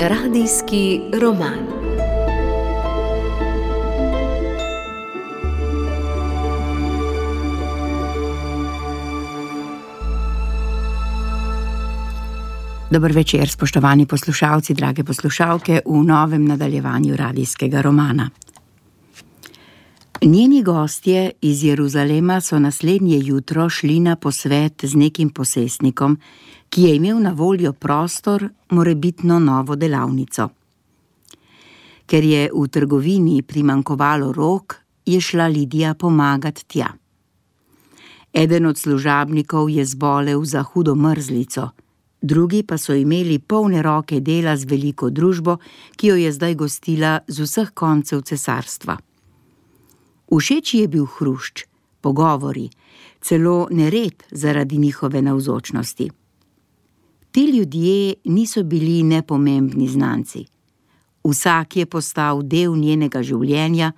Radijski roman. Dober večer, spoštovani poslušalci, drage poslušalke, v novem nadaljevanju radijskega romana. Njeni gostje iz Jeruzalema so naslednje jutro šli na posvet z nekim posestnikom, ki je imel na voljo prostor, morebitno novo delavnico. Ker je v trgovini primanjkovalo rok, je šla Lidija pomagat tja. Eden od služabnikov je zbolel za hudo mrzlico, drugi pa so imeli polne roke dela z veliko družbo, ki jo je zdaj gostila z vseh koncev cesarstva. Všeč ji je bil hrušč, pogovori, celo nered zaradi njihove navzočnosti. Ti ljudje niso bili nepomembni znanci. Vsak je postal del njenega življenja,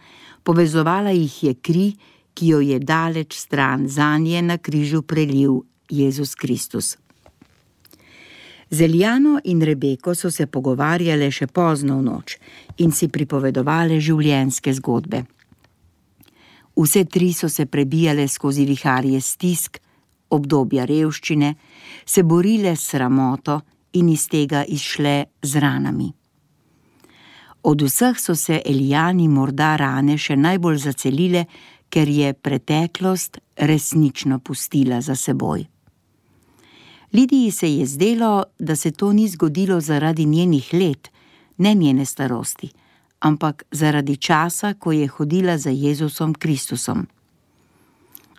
povezovala jih je kri, ki jo je daleč stran zanje na križu prelil Jezus Kristus. Z Eljano in Rebeko so se pogovarjale še pozno v noč in si pripovedovale življenjske zgodbe. Vse tri so se prebijale skozi viharje stisk, obdobja revščine, se borile s sramoto in iz tega izšle z ranami. Od vseh so se Elijani morda rane še najbolj zacelile, ker je preteklost resnično pustila za seboj. Lidiji se je zdelo, da se to ni zgodilo zaradi njenih let, ne njene starosti, ampak zaradi časa, ko je hodila za Jezusom Kristusom.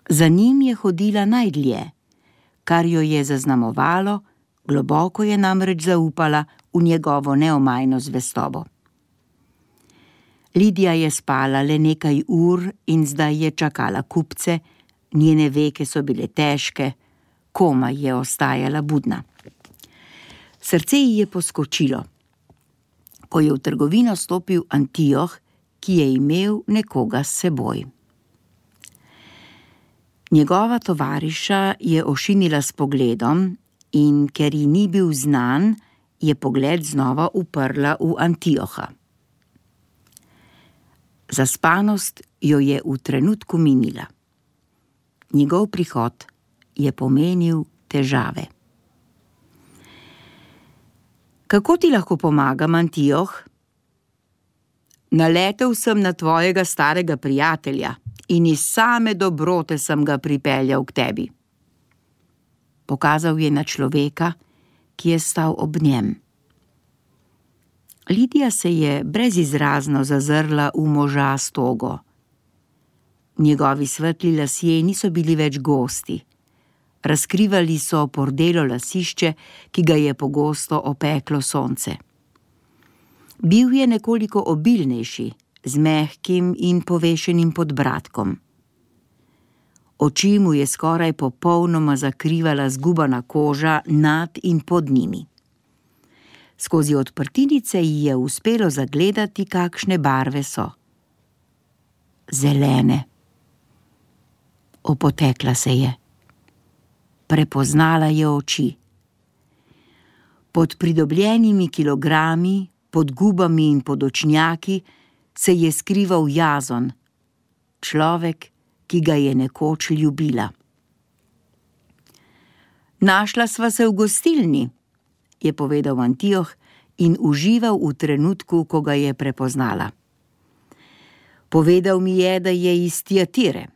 Za njim je hodila najdlje, kar jo je zaznamovalo, globoko je namreč zaupala v njegovo neomajno zvestobo. Lidija je spala le nekaj ur in zdaj je čakala kupce, njene veke so bile težke, komaj je ostajala budna. Srce ji je poskočilo, ko je v trgovino stopil Antioh, ki je imel nekoga s seboj. Njegova tovariša je ošinila s pogledom in ker ji ni bil znan, je pogled znova uprla v Antioha. Zaspanost jo je v trenutku minila. Njegov prihod je pomenil težave. Kako ti lahko pomagam, Antioh? Naletel sem na tvojega starega prijatelja in iz same dobrote sem ga pripeljal k tebi. Pokazal je na človeka, ki je stal ob njem. Lidija se je brezizrazno zazrla v moža s togo. Njegovi svetli lasje niso bili več gosti. Razkrivali so pordelo lasišče, ki ga je pogosto opeklo sonce. Bil je nekoliko obilnejši, z mehkim in povešenim podbradkom. Oči mu je skoraj popolnoma zakrivala zgubana koža nad in pod njimi. Skozi odprtinice ji je uspelo zagledati, kakšne barve so. Zelene. Opotekla se je. Prepoznala je oči. Pod pridobljenimi kilogrami, pod gubami in pod očnjaki se je skrival Jazon, človek, ki ga je nekoč ljubila. Našla sva se v gostilni, je povedal Antioh in užival v trenutku, ko ga je prepoznala. Povedal mi je, da je iz Tiatire.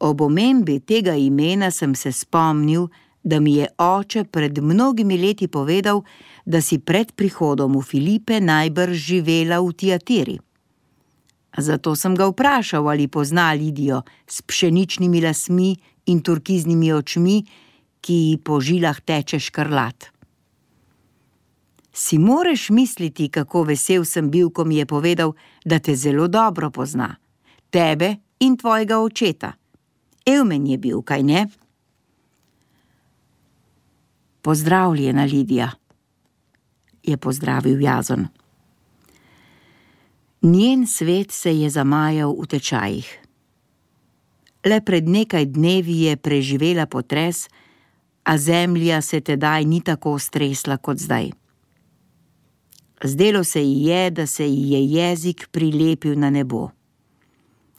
Ob omembi tega imena sem se spomnil, da mi je oče pred mnogimi leti povedal, da si pred prihodom v Filipe najbrž živela v Tiatiri. Zato sem ga vprašal, ali pozna Lidijo s pšeničnimi lasmi in turkiznimi očmi, ki ji po žilah teče škrlat. Si moreš misliti, kako vesel sem bil, ko mi je povedal, da te zelo dobro pozna, tebe in tvojega očeta. Evmen je bil, kaj ne? Pozdravljena, Lidija, je pozdravil Jazon. Njen svet se je zamajal v tečajih. Le pred nekaj dnevi je preživela potres, a zemlja se tedaj ni tako stresla kot zdaj. Zdelo se ji je, da se ji je jezik prilepil na nebo.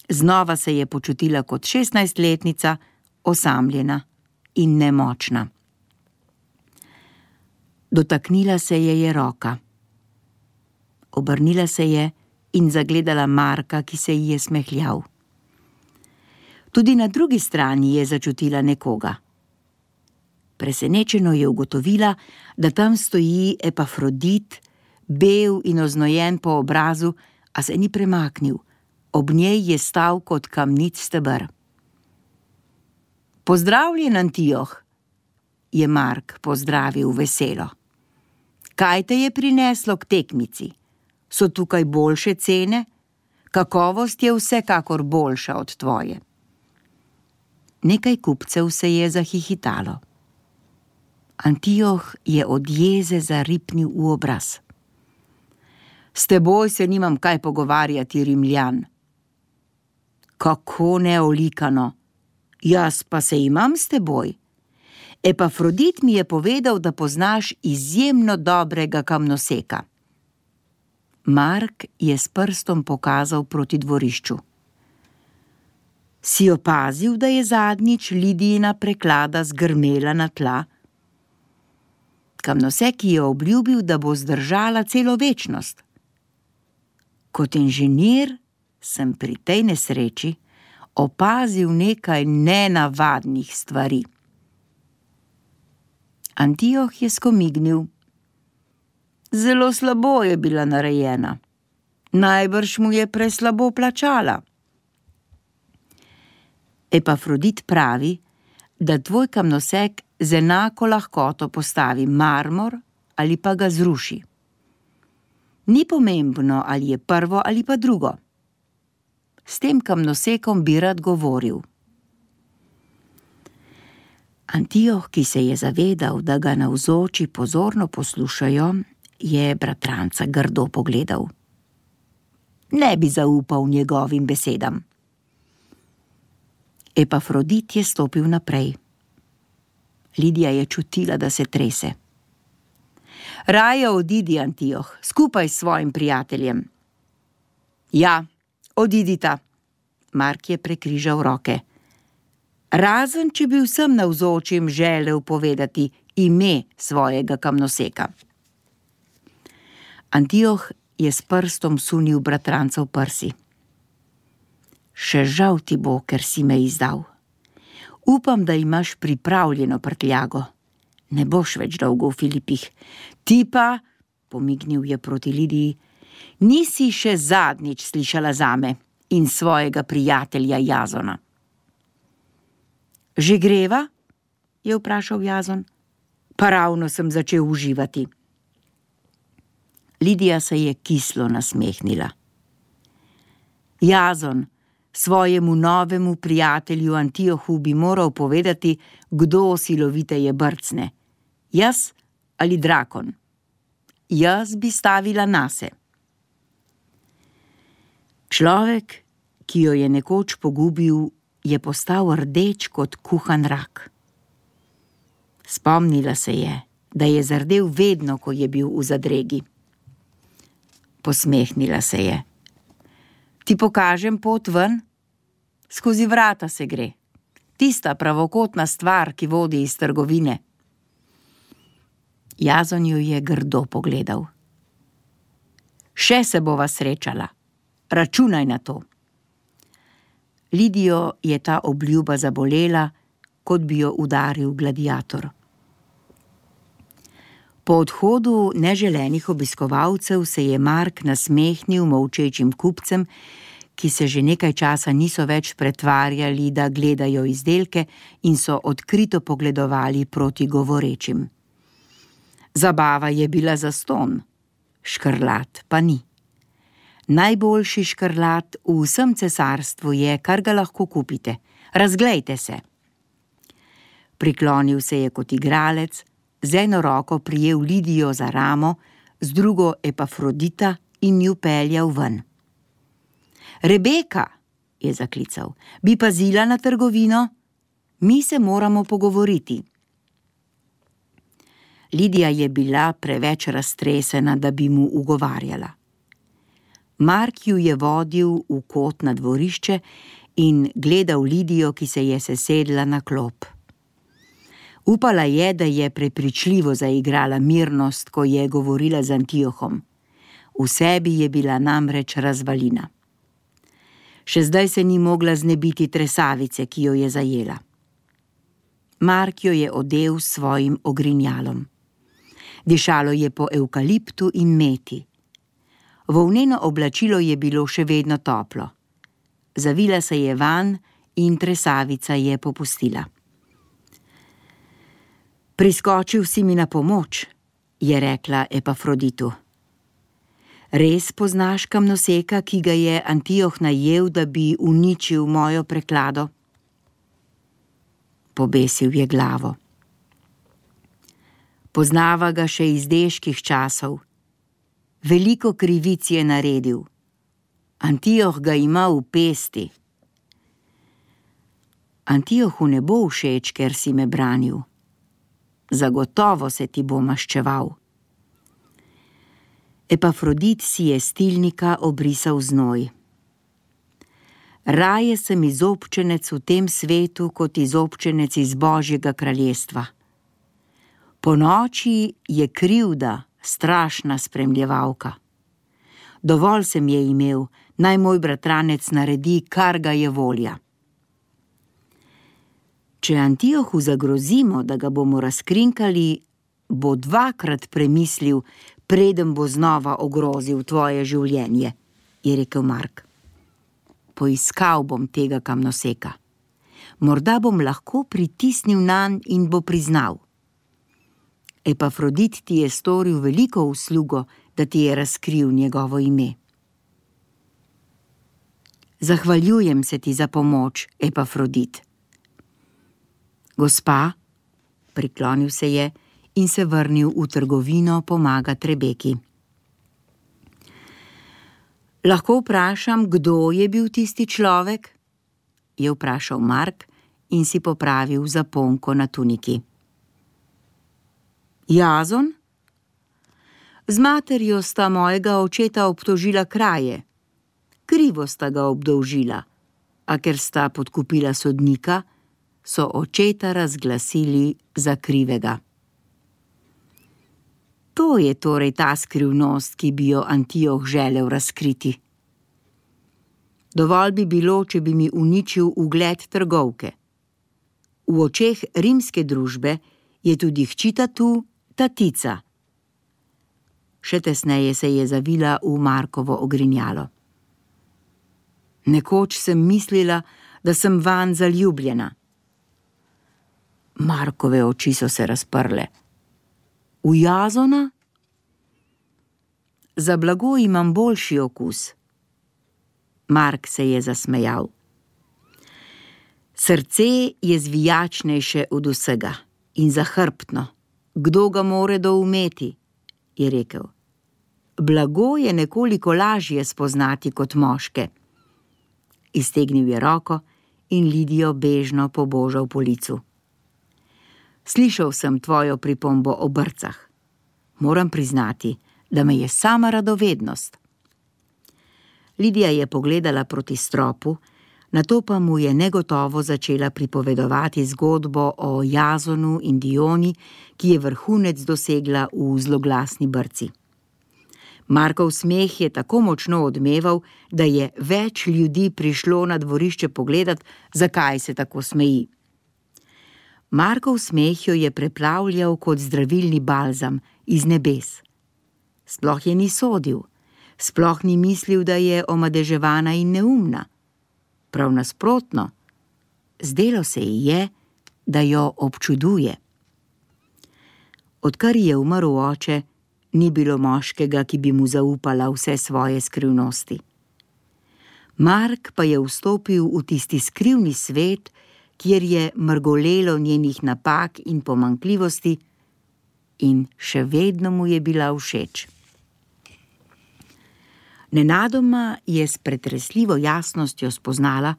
Znova se je počutila kot 16-letnica, osamljena in nemočna. Dotaknila se je roka. Obrnila se je in zagledala Marka, ki se ji je smehljal. Tudi na drugi strani je začutila nekoga. Presenečeno je ugotovila, da tam stoji Epafrodit, bel in oznojen po obrazu, a se ni premaknil. Ob njej je stal kot kamnit steber. Pozdravljen, Antioh, je Mark pozdravil veselo. Kaj te je prineslo k tekmici? So tukaj boljše cene? Kakovost je vsekakor boljša od tvoje. Nekaj kupcev se je zahihitalo. Antioh je od jeze zaripnil v obraz. S teboj se nimam kaj pogovarjati, Rimljan. Kako neolikano, jaz pa se imam s teboj. Epafrodit mi je povedal, da poznaš izjemno dobrega kamnoseka. Mark je s prstom pokazal proti dvorišču. Si opazil, da je zadnjič Lidijina preklada zgrmela na tla? Kamnosek je obljubil, da bo zdržala celo večnost. Kot inženir sem pri tej nesreči opazil nekaj nenavadnih stvari. Antioh je skomignil. Zelo slabo je bila narejena. Najbrž mu je preslabo plačala. Epafrodit pravi, da tvoj kamnosek z enako lahkoto postavi marmor ali pa ga zruši. Ni pomembno, ali je prvo ali pa drugo. S tem kamnosekom bi rad govoril. Antioh, ki se je zavedal, da ga navzoči pozorno poslušajo, je bratranca grdo pogledal. Ne bi zaupal njegovim besedam. Epafrodit je stopil naprej. Lidija je čutila, da se trese. Raje odidi, Antioh, skupaj s svojim prijateljem. Ja, odidita. Mark je prekrižal roke. Razen, če bi vsem navzočim želel povedati ime svojega kamnoseka. Antioh je s prstom sunil bratranca v prsi. Še žal ti bo, ker si me izdal. Upam, da imaš pripravljeno prtljago. Ne boš več dolgo v Filipih. Ti pa, pomignil je proti Lidiji, nisi še zadnjič slišala zame in svojega prijatelja Jazona. Že greva? Je vprašal Jazon. Pa ravno sem začel uživati. Lidija se je kislo nasmehnila. Jazon, svojemu novemu prijatelju Antiohu bi moral povedati, kdo siloviteje brcne. Jaz ali drakon? Jaz bi stavila nase. Človek, ki jo je nekoč pogubil, je postal rdeč kot kuhan rak. Spomnila se je, da je zardel vedno, ko je bil v zadregi. Posmehnila se je. Ti pokažem pot ven? Skozi vrata se gre. Tista pravokotna stvar, ki vodi iz trgovine. Jazon jo je grdo pogledal. Še se bova srečala. Računaj na to. Lidijo je ta obljuba zabolela, kot bi jo udaril gladiator. Po odhodu neželenih obiskovalcev se je Mark nasmehnil molčečim kupcem, ki se že nekaj časa niso več pretvarjali, da gledajo izdelke in so odkrito pogledovali proti govorečim. Zabava je bila zastonj, škrlat pa ni. Najboljši škrlat v vsem cesarstvu je, kar ga lahko kupite. Razglejte se. Priklonil se je kot igralec, z eno roko prijel Lidijo za ramo, z drugo Epafrodita in ju peljal ven. Rebeka, je zaklical, bi pazila na trgovino? Mi se moramo pogovoriti. Lidija je bila preveč raztresena, da bi mu ugovarjala. Mark ju je vodil v kot na dvorišče in gledal Lidijo, ki se je sesedla na klop. Upala je, da je prepričljivo zaigrala mirnost, ko je govorila z Antiohom. V sebi je bila namreč razvalina. Še zdaj se ni mogla znebiti tresavice, ki jo je zajela. Mark jo je odel s svojim ogrinjalom. Dišalo je po evkaliptu in meti. Volneno oblačilo je bilo še vedno toplo. Zavila se je vanj in tresavica je popustila. Priskočil si mi na pomoč, je rekla Epafroditu. Res poznaš kamnoseka, ki ga je Antioh najel, da bi uničil mojo preklado? Pobesil je glavo. Poznava ga še iz deških časov. Veliko krivic je naredil. Antioh ga ima v pesti. Antiohu ne bo všeč, ker si me branil. Zagotovo se ti bo maščeval. Epafrodit si je s tilnika obrisal znoj. Raje sem izobčenec v tem svetu, kot izobčenec iz Božjega kraljestva. Po noči je krivda strašna spremljevalka. Dovolj sem je imel, naj moj bratranec naredi, kar ga je volja. Če Antiohu zagrozimo, da ga bomo razkrinkali, bo dvakrat premislil, preden bo znova ogrozil tvoje življenje, je rekel Mark. Poiskal bom tega kamnoseka. Morda bom lahko pritisnil nanj in bo priznal. Epafrodit ti je storil veliko uslugo, da ti je razkril njegovo ime. Zahvaljujem se ti za pomoč, Epafrodit. Gospa, priklonil se je in se vrnil v trgovino pomagati Rebeki. Lahko vprašam, kdo je bil tisti človek? Je vprašal Mark in si popravil zaponko na tuniki. Jazon? Z materjo sta mojega očeta obtožila kraje. Krivo sta ga obdolžila, a ker sta podkupila sodnika, so očeta razglasili za krivega. To je torej ta skrivnost, ki bi jo Antioh želel razkriti. Dovolj bi bilo, če bi mi uničil ugled trgovke. V očeh rimske družbe je tudi hčita tu tatica. Še tesneje se je zavila v Markovo ogrinjalo. Nekoč sem mislila, da sem vanj zaljubljena. Markove oči so se razprle. V Jazona? Za blago imam boljši okus. Mark se je zasmejal. Srce je zvijačnejše od vsega in zahrbtno. Kdo ga more doumeti, je rekel. Blago je nekoliko lažje spoznati kot moške. Iztegnil je roko in Lidijo bežno pobožal po licu. Slišal sem tvojo pripombo o brcah. Moram priznati, da me je sama radovednost. Lidija je pogledala proti stropu, nato pa mu je negotovo začela pripovedovati zgodbo o Jazonu in Dioni, ki je vrhunec dosegla v zloglasni brci. Markov smeh je tako močno odmeval, da je več ljudi prišlo na dvorišče pogledat, zakaj se tako smeji. Markov smeh jo je preplavljal kot zdravilni balzam iz nebes. Sploh je ni sodil, sploh ni mislil, da je omadeževana in neumna. Prav nasprotno, zdelo se ji je, da jo občuduje. Odkar je umrl oče, ni bilo moškega, ki bi mu zaupala vse svoje skrivnosti. Mark pa je vstopil v tisti skrivni svet, kjer je mrgolelo njenih napak in pomanjkljivosti, in še vedno mu je bila všeč. Nenadoma je s pretresljivo jasnostjo spoznala,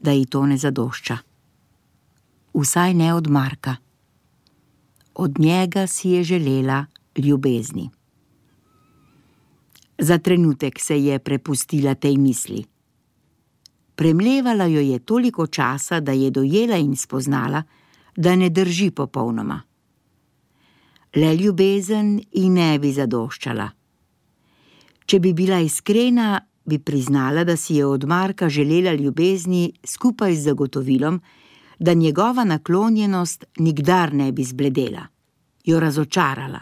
da ji to ne zadošča. Vsaj ne od Marka. Od njega si je želela ljubezni. Za trenutek se je prepustila tej misli. Premlevala jo je toliko časa, da je dojela in spoznala, da ne drži popolnoma. Le ljubezen ji ne bi zadoščala. Če bi bila iskrena, bi priznala, da si je od Marka želela ljubezni skupaj z zagotovilom, da njegova naklonjenost nikdar ne bi zbledela, jo razočarala,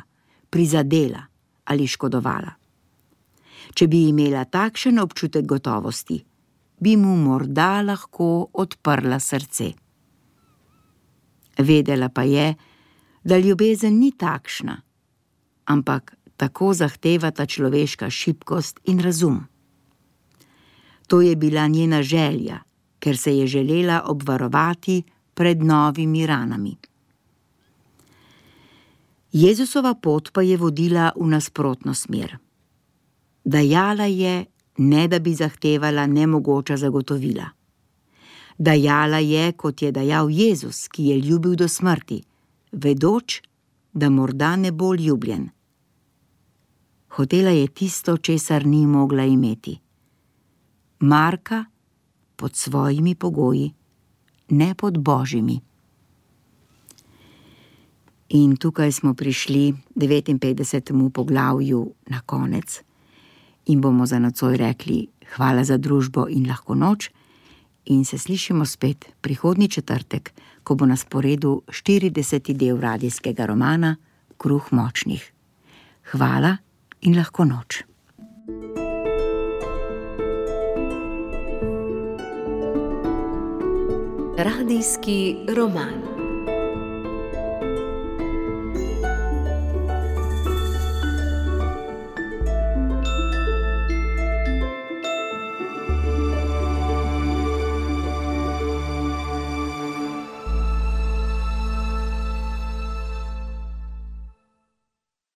prizadela ali škodovala. Če bi imela takšen občutek gotovosti, bi mu morda lahko odprla srce. Vedela pa je, da ljubezen ni takšna, ampak tako zahtevata človeška šibkost in razum. To je bila njena želja, ker se je želela obvarovati pred novimi ranami. Jezusova pot pa je vodila v nasprotno smer. Dajala je, ne da bi zahtevala nemogoča zagotovila. Dajala je, kot je dajal Jezus, ki je ljubil do smrti, vedoč, da morda ne bo ljubljen. Hotela je tisto, česar ni mogla imeti. Marka pod svojimi pogoji, ne pod Božjimi. In tukaj smo prišli 59. poglavju na konec in bomo za nocoj rekli hvala za družbo in lahko noč in se slišimo spet prihodnji četrtek, ko bo na sporedu 40. del radijskega romana Kruh močnih. Hvala in lahko noč. Radijski roman.